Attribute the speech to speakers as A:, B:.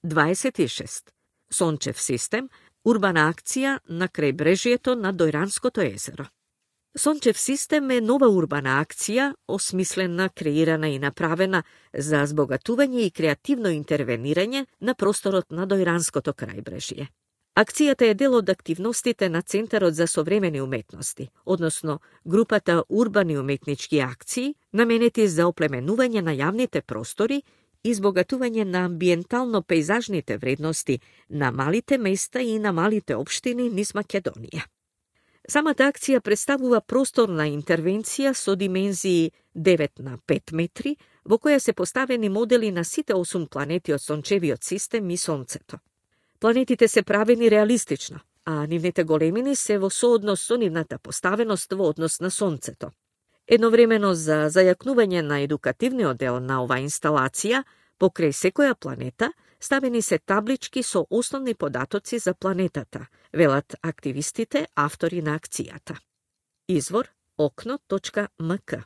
A: 26. Сончев систем, урбана акција на крајбрежјето на Дојранското езеро. Сончев систем е нова урбана акција, осмислена, креирана и направена за збогатување и креативно интервенирање на просторот на Дојранското крајбрежје. Акцијата е дел од активностите на Центарот за современи уметности, односно групата урбани уметнички акции, наменети за оплеменување на јавните простори и избогатување на амбиентално-пейзажните вредности на малите места и на малите општини низ Македонија. Самата акција представува просторна интервенција со димензии 9 на 5 метри, во која се поставени модели на сите 8 планети од Сончевиот систем и Сонцето. Планетите се правени реалистично, а нивните големини се во сооднос со нивната поставеност во однос на Сонцето. Едновремено за зајакнување на едукативниот дел на оваа инсталација, покрај секоја планета, ставени се таблички со основни податоци за планетата, велат активистите, автори на акцијата. Извор okno.mk